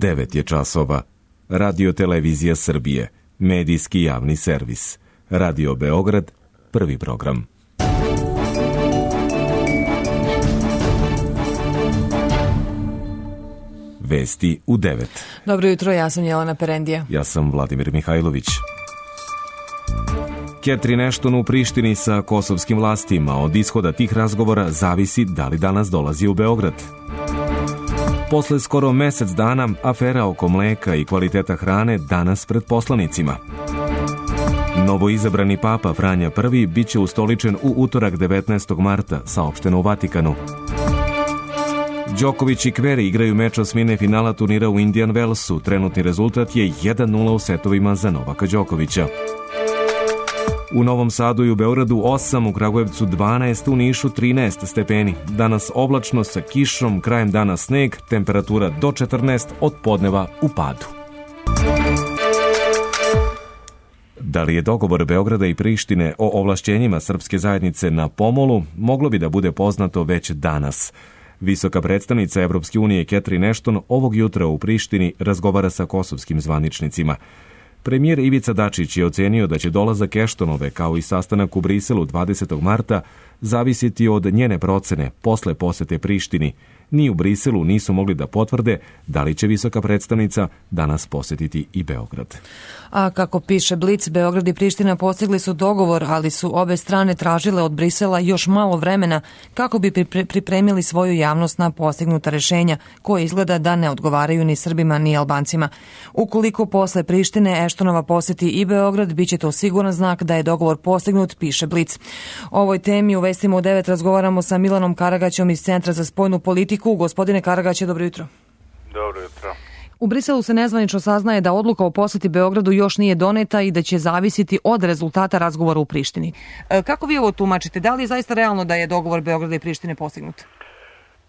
9 je časova. Radio Televizija Srbije, medijski javni servis. Radio Beograd, prvi program. Vesti u 9. Dobro jutro, ja sam Jelena Perendija. Ja sam Vladimir Mihajlović. Catherine Ashton u Prištini sa kosovskim vlastima. Od ishoda tih razgovora zavisi da li danas dolazi u Beograd. Posle skoro mesec dana, afera oko mleka i kvaliteta hrane danas pred poslanicima. Novoizabrani papa Franja I biće ustoličen u utorak 19. marta, saopšteno u Vatikanu. Đoković i Kveri igraju meč osmine finala turnira u Indian Wellsu. Trenutni rezultat je 1-0 u setovima za Novaka Đokovića. U Novom Sadu i u Beogradu 8, u Kragujevcu 12, u Nišu 13 stepeni. Danas oblačno sa kišom, krajem dana sneg, temperatura do 14, od podneva u padu. Da li je dogovor Beograda i Prištine o ovlašćenjima srpske zajednice na pomolu, moglo bi da bude poznato već danas. Visoka predstavnica Evropske unije Catherine Ashton ovog jutra u Prištini razgovara sa kosovskim zvaničnicima. Premijer Ivica Dačić je ocenio da će dolazak Ashtonove, kao i sastanak u Briselu 20. marta, zavisiti od njene procene posle posete Prištini. Ni u Briselu nisu mogli da potvrde da li će visoka predstavnica danas posetiti i Beograd. A kako piše Blic, Beograd i Priština postigli su dogovor, ali su obe strane tražile od Brisela još malo vremena kako bi pripremili svoju javnost na postignuta rešenja, koje izgleda da ne odgovaraju ni Srbima ni Albancima. Ukoliko posle Prištine Ashtonova poseti i Beograd, biće to siguran znak da je dogovor postignut, piše Blic. O ovoj temi u Vestima u 9 razgovaramo sa Milanom Karagaćom iz Centra za spoljnu politiku. Gospodine Karagaće, dobro jutro. Dobro jutro. U Briselu se nezvanično saznaje da odluka o poseti Beogradu još nije doneta i da će zavisiti od rezultata razgovora u Prištini. Kako vi ovo tumačite? Da li je zaista realno da je dogovor Beograda i Prištine postignut?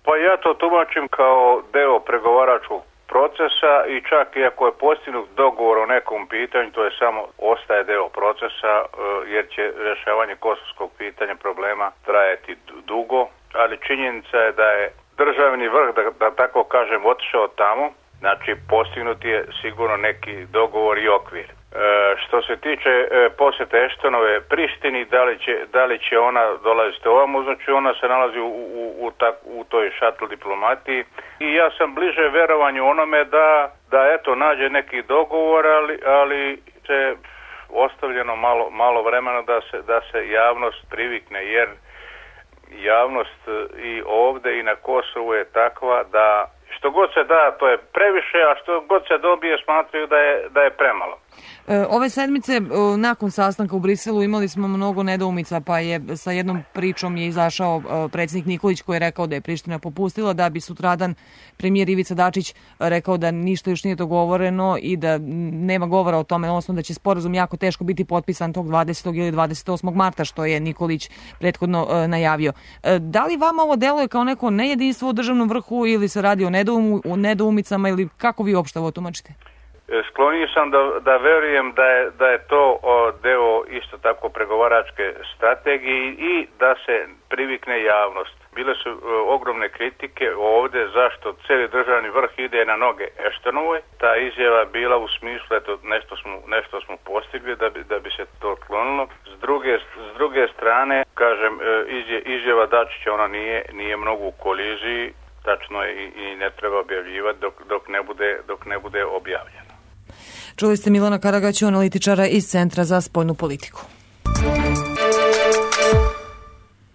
Pa ja to tumačim kao deo pregovaračkog procesa i čak i ako je postignut dogovor o nekom pitanju, to je samo ostaje deo procesa jer će rješavanje kosovskog pitanja problema trajati dugo, ali činjenica je da je državni vrh, da tako kažem, otišao tamo. Znači, postignut je sigurno neki dogovor i okvir. Što se tiče posjete Ashtonove Prištini, da li će ona dolaziti ovamo, znači ona se nalazi u toj šatl diplomatiji. I ja sam bliže verovanju onome da eto nađe neki dogovor, ali se ostavljeno malo vremena da se javnost privikne, jer javnost i ovde i na Kosovu je takva da što god se da, to je previše, a što god se dobije smatraju da je premalo. Ove sedmice, nakon sastanka u Briselu, imali smo mnogo nedoumica, pa je sa jednom pričom je izašao predsjednik Nikolić koji je rekao da je Priština popustila, da bi sutradan premijer Ivica Dačić rekao da ništa još nije dogovoreno i da nema govora o tome, odnosno da će sporazum jako teško biti potpisan tog 20. ili 28. marta, što je Nikolić prethodno najavio. Da li vama ovo deluje kao neko nejedinstvo u državnom vrhu ili se radi o nedoumicama ili kako vi uopšte ovo tumačite? Sklonio sam da verujem da je to deo isto tako pregovaračke strategije i da se privikne javnost. Bile su ogromne kritike ovdje zašto cijeli državni vrh ide na noge Ashtonovoj. Ta izjava bila u smislu eto nešto smo postigli da bi se to otklonilo. S druge strane, kažem, izjava Dačića ona nije mnogo u koliziji, tačno je i ne treba objavljivati dok ne bude objavljeno. Čuli ste Milana Karagaću, analitičara iz Centra za spoljnu politiku.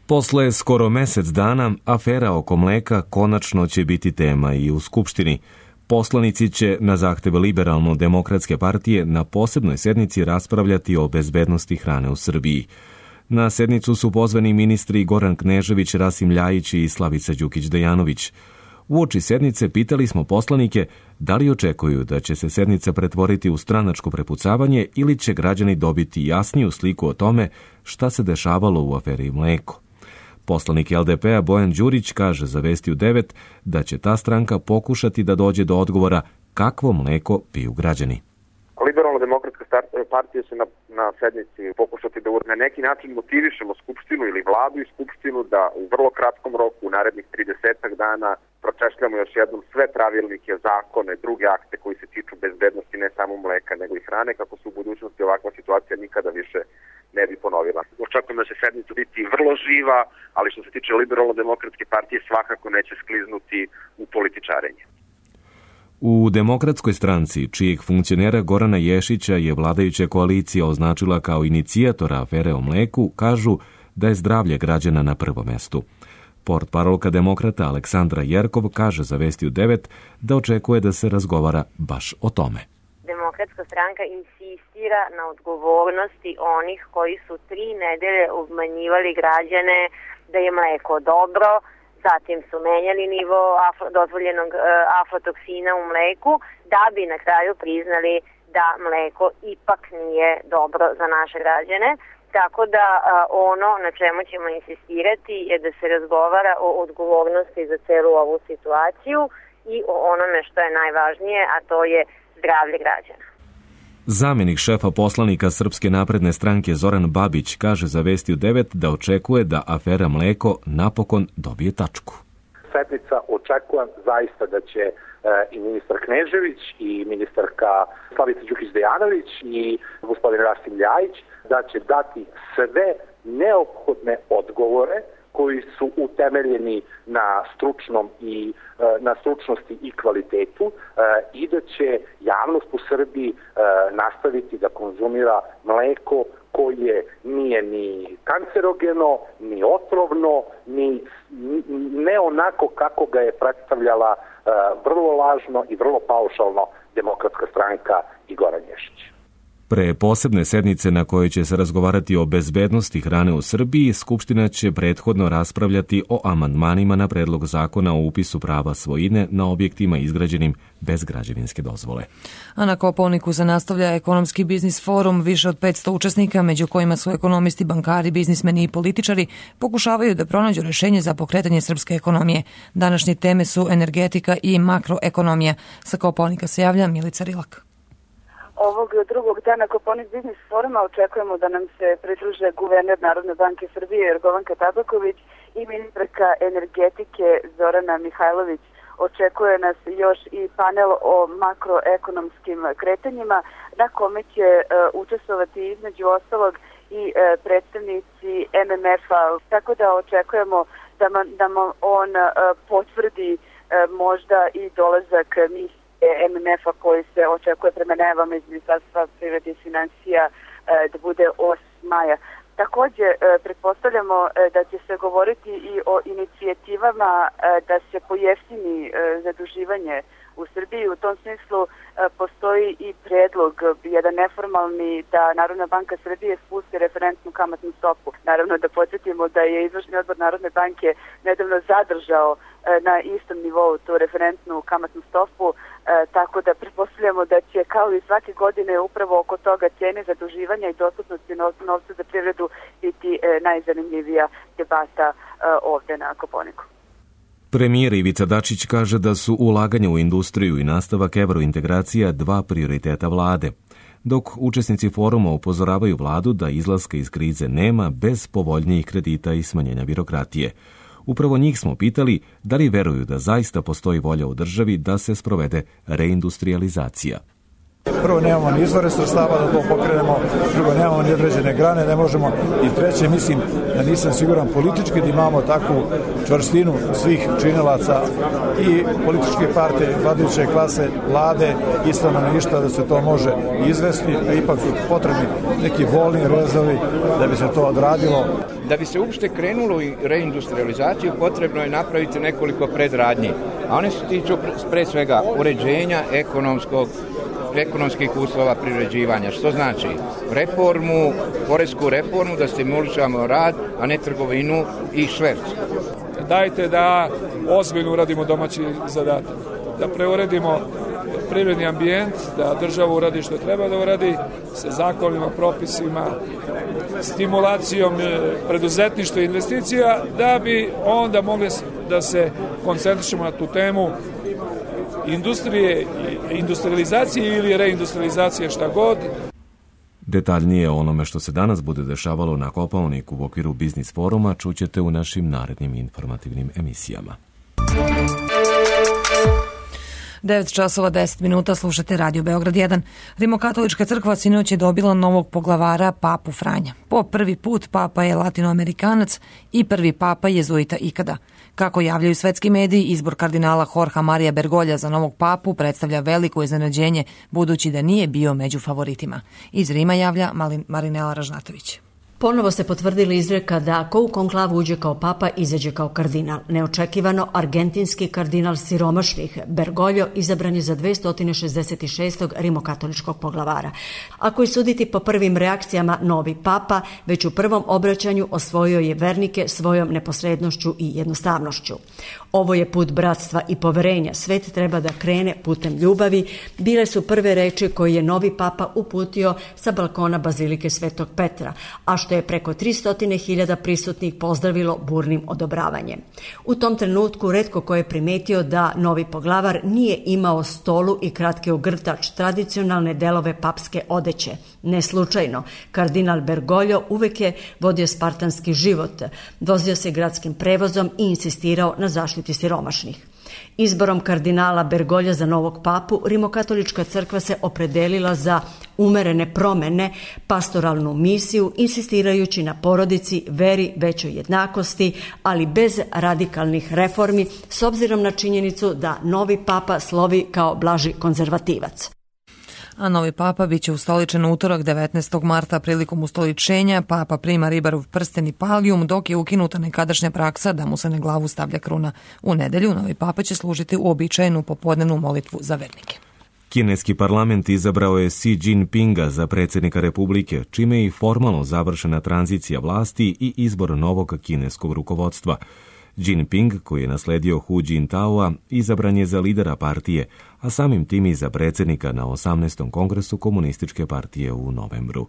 Posle skoro mesec dana, afera oko mleka konačno će biti tema i u Skupštini. Poslanici će na zahtev Liberalno-demokratske partije na posebnoj sednici raspravljati o bezbednosti hrane u Srbiji. Na sednicu su pozvani ministri Goran Knežević, Rasim Ljajić i Slavica Đukić-Dejanović. Uoči sednice pitali smo poslanike da li očekuju da će se sednica pretvoriti u stranačko prepucavanje ili će građani dobiti jasniju sliku o tome šta se dešavalo u aferi mleko. Poslanik LDP-a Bojan Đurić kaže za Vesti u 9 da će ta stranka pokušati da dođe do odgovora kakvo mleko piju građani. Liberalno-demokratska partije će na sednici pokušati da na neki način motivišemo Skupštinu ili vladu i Skupštinu da u vrlo kratkom roku, u narednih 30 dana, pročešljamo još jednom sve pravilnike, zakone, druge akte koji se tiču bezbednosti ne samo mleka nego i hrane, kako se u budućnosti ovakva situacija nikada više ne bi ponovila. Očekujem da će sednica biti vrlo živa, ali što se tiče Liberalno-demokratske partije svakako neće skliznuti u političarenje. U Demokratskoj stranci, čijeg funkcionera Gorana Ješića je vladajuća koalicija označila kao inicijatora afere o mleku, kažu da je zdravlje građana na prvom mestu. Portparolka demokrata Aleksandra Jerkov kaže za Vesti u 9 da očekuje da se razgovara baš o tome. Demokratska stranka insistira na odgovornosti onih koji su 3 nedelje obmanjivali građane da je mleko dobro, zatim su menjali nivo dozvoljenog aflatoksina u mleku da bi na kraju priznali da mleko ipak nije dobro za naše građane. Tako da ono na čemu ćemo insistirati je da se razgovara o odgovornosti za celu ovu situaciju i o onome što je najvažnije, a to je zdravlje građana. Zamenik šefa poslanika Srpske napredne stranke Zoran Babić kaže za Vesti u 9 da očekuje da afera mleko napokon dobije tačku. Sednica očekujem zaista da će i ministar Knežević i ministarka Slavica Đukić-Dejanović i gospodin Rasim Ljajić da će dati sve neophodne odgovore koji su utemeljeni na stručnosti i kvalitetu i da će javnost u Srbiji nastaviti da konzumira mleko koje nije ni kancerogeno, ni otrovno, ne onako kako ga je predstavljala vrlo lažno i vrlo paušalno Demokratska stranka i Goran Ješić. Pre posebne sednice na kojoj će se razgovarati o bezbednosti hrane u Srbiji, Skupština će prethodno raspravljati o amandmanima na predlog zakona o upisu prava svojine na objektima izgrađenim bez građevinske dozvole. A na Kopaoniku se nastavlja ekonomski biznis forum. Više od 500 učesnika, među kojima su ekonomisti, bankari, biznismeni i političari, pokušavaju da pronađu rešenje za pokretanje srpske ekonomije. Današnje teme su energetika i makroekonomija. Sa Kopaonika se javlja Milica Rilak. Ovog drugog dana Kopaonik biznis foruma očekujemo da nam se pridruže guverner Narodne banke Srbije Jorgovanka Tabaković i ministarka energetike Zorana Mihajlović. Očekuje nas još i panel o makroekonomskim kretanjima na kome će učestvovati između ostalog i predstavnici MMF-a. Tako da očekujemo da on potvrdi možda i dolazak misije MMF-a koji se očekuje prema najavama iz Ministarstva privrede i finansija da bude 8. maja. Također, pretpostavljamo da će se govoriti i o inicijativama da se pojeftini zaduživanje u Srbiji. U tom smislu postoji i predlog, jedan neformalni, da Narodna banka Srbije spusti referentnu kamatnu stopu. Naravno da podsjetimo da je izvršni odbor Narodne banke nedavno zadržao na istom nivou tu referentnu kamatnu stopu, tako da pretpostavljamo da će kao i svake godine upravo oko toga cijene zaduživanja i dostupnosti novca za privredu biti najzanimljivija debata ovde na Kopaoniku. Premijer Ivica Dačić kaže da su ulaganja u industriju i nastavak evrointegracija 2 prioriteta vlade, dok učesnici foruma upozoravaju vladu da izlaska iz krize nema bez povoljnijih kredita i smanjenja birokratije. Upravo njih smo pitali da li veruju da zaista postoji volja u državi da se sprovede reindustrializacija. Prvo, nemamo ni izvore sredstava da to pokrenemo, drugo, nemamo ni određene grane, ne možemo, i treće, mislim da nisam siguran politički da imamo takvu čvrstinu svih činilaca i političke partije, vladajuće klase, vlade i stanovništva da se to može izvesti, a ipak su potrebni neki bolni rezovi da bi se to odradilo. Da bi se uopšte krenulo u reindustrializaciju, potrebno je napraviti nekoliko predradnji, a one se tiču pre svega uređenja ekonomskih uslova privređivanja, što znači reformu, poresku reformu, da stimulišemo rad, a ne trgovinu i šverc. Dajte da ozbiljno uradimo domaći zadatak, da preuredimo privredni ambijent, da država uradi što treba da uradi sa zakonima, propisima, stimulacijom preduzetništva i investicija, da bi onda mogli da se koncentrišemo na tu temu industrije, industrializacije ili reindustrializacije, šta god. Detaljnije o onome što se danas bude dešavalo na Kopaoniku u okviru Biznis foruma čućete u našim narednim informativnim emisijama. 9 časova 10 minuta, slušate Radio Beograd 1. Rimokatolička crkva sinoć je dobila novog poglavara, papu Franja. Po prvi put papa je latinoamerikanac i prvi papa jezuita ikada. Kako javljaju svetski mediji, izbor kardinala Jorgea Marija Bergolja za novog papu predstavlja veliko iznenađenje, budući da nije bio među favoritima. Iz Rima javlja Marinela Ražnatović. Ponovo se potvrdila izreka da ko u konklavu uđe kao papa, izađe kao kardinal. Neočekivano, argentinski kardinal siromašnih Bergoglio izabran je za 266. rimokatoličkog poglavara. Ako je suditi po prvim reakcijama, novi papa već u prvom obraćanju osvojio je vernike svojom neposrednošću i jednostavnošću. Ovo je put bratstva i poverenja. Svet treba da krene putem ljubavi. Bile su prve reči koje je novi papa uputio sa balkona Bazilike Svetog Petra, a što je preko 300.000 prisutnih pozdravilo burnim odobravanjem. U tom trenutku retko ko je primetio da novi poglavar nije imao stolu i kratki ogrtač, tradicionalne delove papske odeće. Ne slučajno, kardinal Bergoglio uvek je vodio spartanski život, vozio se gradskim prevozom i insistirao na zaštiti siromašnih. Izborom kardinala Bergolja za novog papu, Rimokatolička crkva se opredelila za umerene promene, pastoralnu misiju, insistirajući na porodici, veri, većoj jednakosti, ali bez radikalnih reformi, s obzirom na činjenicu da novi papa slovi kao blaži konzervativac. A novi papa biće ustoličen utorak 19. marta prilikom ustoličenja. Papa prima ribarov prsten i palijum, dok je ukinuta nekadašnja praksa da mu se na glavu stavlja kruna. U nedelju novi papa će služiti uobičajenu popodnevnu molitvu za vernike. Kineski parlament izabrao je Xi Jinpinga za predsjednika Republike, čime je i formalno završena tranzicija vlasti i izbor novog kineskog rukovodstva. Jinping, koji je nasledio Hu Jintaoa, izabran je za lidera partije, a samim tim i za predsjednika na 18. kongresu Komunističke partije u novembru.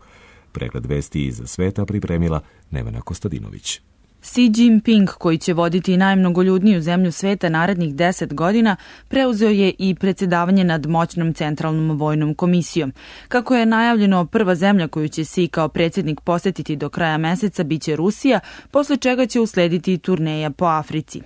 Pregled vesti iz sveta pripremila Nevena Kostadinović. Xi Jinping, koji će voditi najmnogoljudniju zemlju sveta narednih 10 godina, preuzeo je i predsjedavanje nad moćnom centralnom vojnom komisijom. Kako je najavljeno, prva zemlja koju će Xi kao predsjednik posjetiti do kraja meseca biće Rusija, posle čega će uslediti turneja po Africi.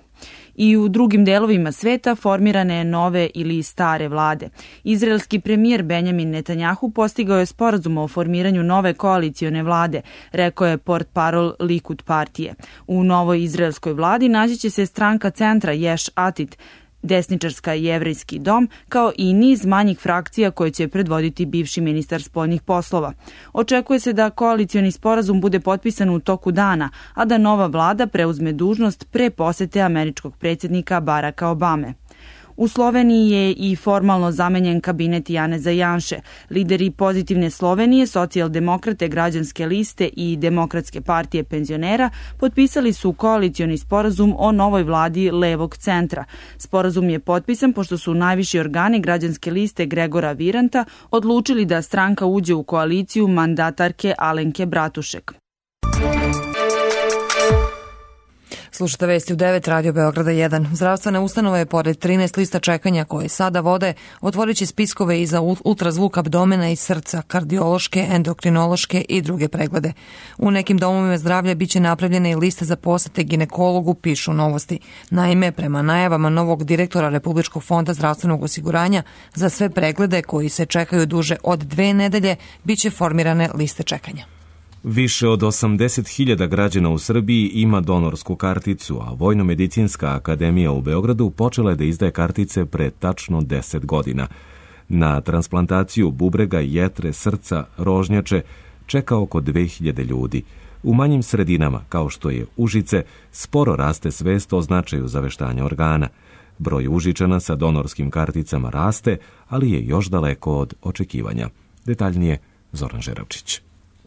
I u drugim delovima sveta formirane nove ili stare vlade. Izraelski premijer Benjamin Netanjahu postigao je sporazum o formiranju nove koalicione vlade, rekao je portparol Likud partije. U novoj izraelskoj vladi naći će se stranka centra Ješ Atit, desničarska jevrejski dom, kao i niz manjih frakcija koje će predvoditi bivši ministar spoljnih poslova. Očekuje se da koalicioni sporazum bude potpisan u toku dana, a da nova vlada preuzme dužnost pre posete američkog predsjednika Baracka Obame. U Sloveniji je i formalno zamenjen kabinet Janeza Janše. Lideri Pozitivne Slovenije, socijaldemokrate, građanske liste i Demokratske partije penzionera potpisali su koalicioni sporazum o novoj vladi levog centra. Sporazum je potpisan pošto su najviši organi građanske liste Gregora Viranta odlučili da stranka uđe u koaliciju mandatarke Alenke Bratušek. Slušate vesti u 9, Radio Beograda 1. Zdravstvene ustanove je pored 13 lista čekanja koje sada vode, otvorit će spiskove i za ultrazvuk abdomena i srca, kardiološke, endokrinološke i druge preglede. U nekim domovima zdravlja biće napravljene i liste za posete ginekologu, pišu Novosti. Naime, prema najavama novog direktora Republičkog fonda zdravstvenog osiguranja, za sve preglede koji se čekaju duže od 2 nedelje, biće formirane liste čekanja. Više od 80.000 građana u Srbiji ima donorsku karticu, a Vojno-medicinska akademija u Beogradu počela je da izdaje kartice pre tačno 10 godina. Na transplantaciju bubrega, jetre, srca, rožnjače čeka oko 2000 ljudi. U manjim sredinama, kao što je Užice, sporo raste svest o značaju zaveštanja organa. Broj Užičana sa donorskim karticama raste, ali je još daleko od očekivanja. Detaljnije Zoran Žeravčić.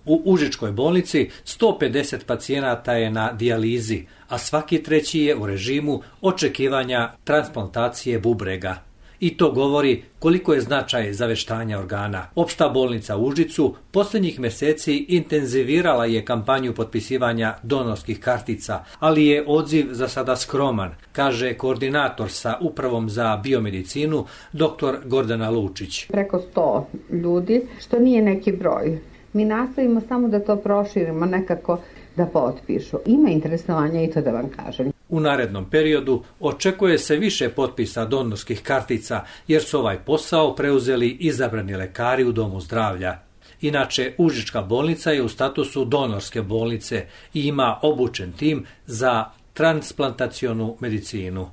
U Užičkoj bolnici 150 pacijenata je na dijalizi, a svaki treći je u režimu očekivanja transplantacije bubrega. I to govori koliko je značaj zaveštanja organa. Opšta bolnica u Užicu posljednjih meseci intenzivirala je kampanju potpisivanja donorskih kartica, ali je odziv za sada skroman, kaže koordinator sa Upravom za biomedicinu, dr. Gordana Lučić. Preko 100 ljudi, što nije neki broj. Mi nastavimo samo da to proširimo, nekako da potpišu. Ima interesovanja i to da vam kažem. U narednom periodu očekuje se više potpisa donorskih kartica, jer su ovaj posao preuzeli izabrani lekari u Domu zdravlja. Inače, Užička bolnica je u statusu donorske bolnice i ima obučen tim za transplantacionu medicinu.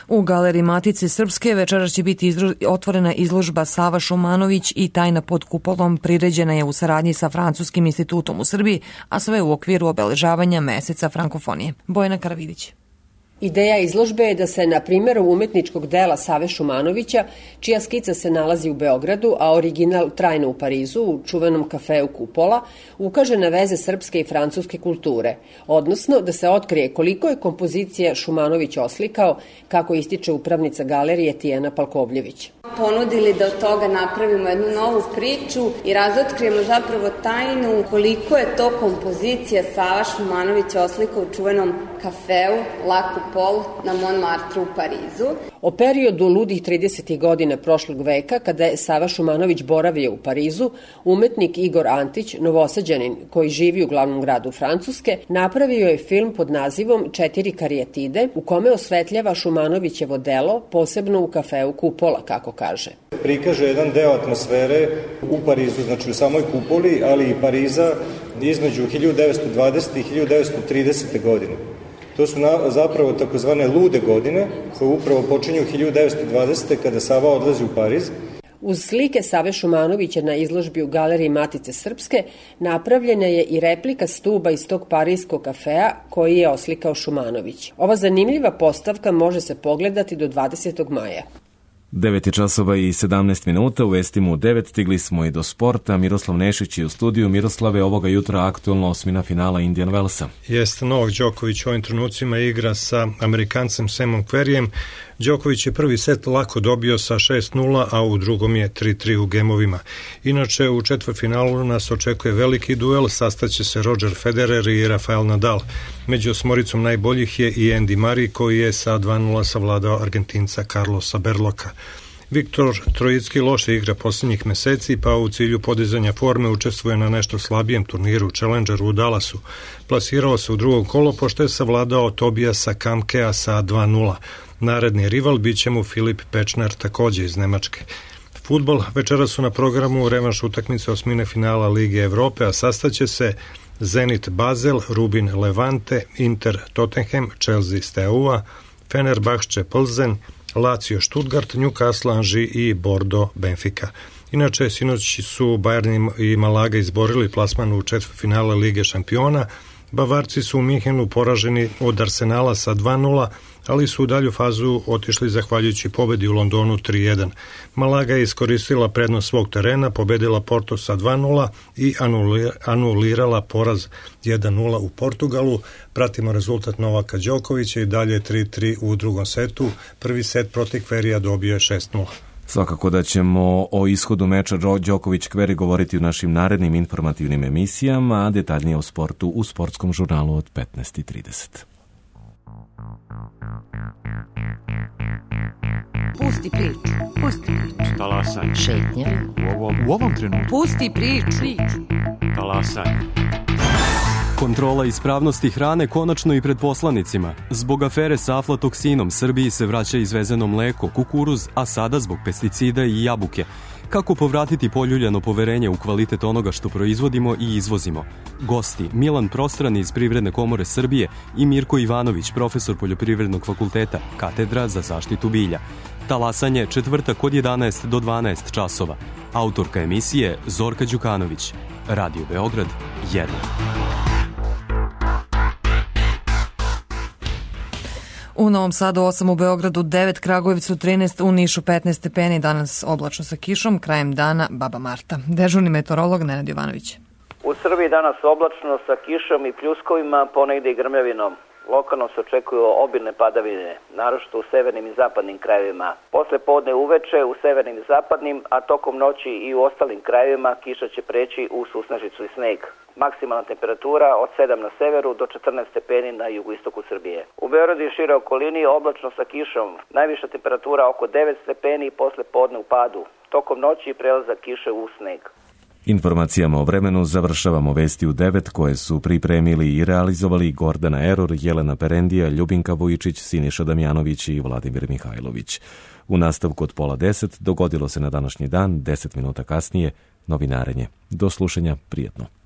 U Galeriji Matice Srpske večeras će biti otvorena izložba Sava Šumanović i tajna pod kupolom priređena je u saradnji sa Francuskim institutom u Srbiji, a sve u okviru obeležavanja meseca frankofonije. Bojana Karavidić. Ideja izložbe je da se na primjeru umetničkog dela Save Šumanovića, čija skica se nalazi u Beogradu, a original trajno u Parizu, u čuvenom kafeu Kupola, ukaže na veze srpske i francuske kulture, odnosno da se otkrije koliko je kompozicija Šumanović oslikao, kako ističe upravnica galerije Tijana Palkovljević. Ponudili da od toga napravimo jednu novu priču i razotkrijemo zapravo tajnu koliko je to kompozicija Sava Šumanović oslikao u čuvenom kafeu La Coupole na Montmartre u Parizu. O periodu ludih 30. godina prošlog veka, kada je Sava Šumanović boravio u Parizu, umetnik Igor Antić, Novosađanin koji živi u glavnom gradu Francuske, napravio je film pod nazivom 4 karijetide, u kome osvetljava Šumanovićevo delo, posebno u kafeu Kupola, kako kaže. Prikaže jedan deo atmosfere u Parizu, znači u samoj Kupoli, ali i Pariza između 1920. i 1930. godine. To su zapravo takozvane lude godine, koje upravo počinju 1920. kada Sava odlazi u Pariz. Uz slike Save Šumanovića na izložbi u Galeriji Matice Srpske napravljena je i replika stuba iz tog parijskog kafea koji je oslikao Šumanović. Ova zanimljiva postavka može se pogledati do 20. maja. 9 časova i 17 minuta, u vestima u 9 stigli smo i do sporta. Miroslav Nešić je u studiju. Miroslave, ovoga jutra aktualno osmina finala Indian Wellsa. Jeste, Novak Đoković u ovim trenucima igra sa Amerikancem Samom Querreyem. Đoković je prvi set lako dobio sa 6-0, a u drugom je 3-3 u gemovima. Inače, u četvrtfinalu nas očekuje veliki duel, sastaće se Roger Federer i Rafael Nadal. Među osmoricom najboljih je i Andy Murray, koji je sa 2-0 savladao Argentinca Carlosa Berloka. Viktor Trojicki loše igra posljednjih meseci, pa u cilju podizanja forme učestvuje na nešto slabijem turniru Challengeru u Dallasu. Plasirao se u drugom kolo, pošto je savladao Tobiasa Kamkea sa 2-0. Naredni rival bit će mu Filip Pečner, takođe iz Nemačke. Fudbal, večera su na programu revanš utakmice osmine finala Lige Evrope, a sastaće se Zenit Basel, Rubin Levante, Inter Tottenham, Chelsea Steaua, Fenerbahče Plzen, Lazio Stuttgart, Newcastle Angers i Bordeaux Benfica. Inače, sinoć su Bayern i Malaga izborili plasman u četvrtfinale Lige šampiona. Bavarci su u Minhenu poraženi od Arsenala sa 2-0, ali su u dalju fazu otišli zahvaljujući pobedi u Londonu 3-1. Malaga je iskoristila prednost svog terena, pobedila Porto sa 2-0 i anulirala poraz 1-0 u Portugalu. Pratimo rezultat Novaka Đokovića i dalje 3-3 u drugom setu. Prvi set protiv Querreya dobio je 6-0. Svakako da ćemo o ishodu meča Đoković-Querrey govoriti u našim narednim informativnim emisijama, a detaljnije o sportu u sportskom žurnalu od 15:30. Pusti priču, pusti priču. Talasaj. Šetnja. U ovom trenutku. Pusti priču. Talasaj. Kontrola ispravnosti hrane konačno i pred poslanicima. Zbog afere sa aflatoksinom Srbiji se vraća izvezeno mleko, kukuruz, a sada zbog pesticida i jabuke. Kako povratiti poljuljano poverenje u kvalitet onoga što proizvodimo i izvozimo? Gosti Milan Prostran iz Privredne komore Srbije i Mirko Ivanović, profesor Poljoprivrednog fakulteta, katedra za zaštitu bilja. Talasanje četvrtak od 11 do 12 časova. Autorka emisije Zorka Đukanović. Radio Beograd 1. U Novom Sadu 8, u Beogradu 9, Kragujevcu 13, u Nišu 15 stepeni, danas oblačno sa kišom, krajem dana Baba Marta. Dežurni meteorolog Nenad Jovanović. U Srbiji danas oblačno sa kišom i pljuskovima, ponegde i grmljavinom. Lokalno se očekuju obilne padavine, naročito u severnim i zapadnim krajevima. Posle podne uveče u severnim i zapadnim, a tokom noći i u ostalim krajevima kiša će preći u susnežicu i sneg. Maksimalna temperatura od 7 na severu do 14 stepeni na jugoistoku Srbije. U Beogradu i šire okolini oblačno sa kišom, najviša temperatura oko 9 stepeni i posle podne u padu. Tokom noći prelazak kiše u sneg. Informacijama o vremenu završavamo vesti u 9 koje su pripremili i realizovali Gordana Eror, Jelena Perendija, Ljubinka Vujičić, Siniša Damjanović i Vladimir Mihajlović. U nastavku od 9:30 dogodilo se na današnji dan, 10 minuta kasnije, novinarenje. Do slušanja, prijetno.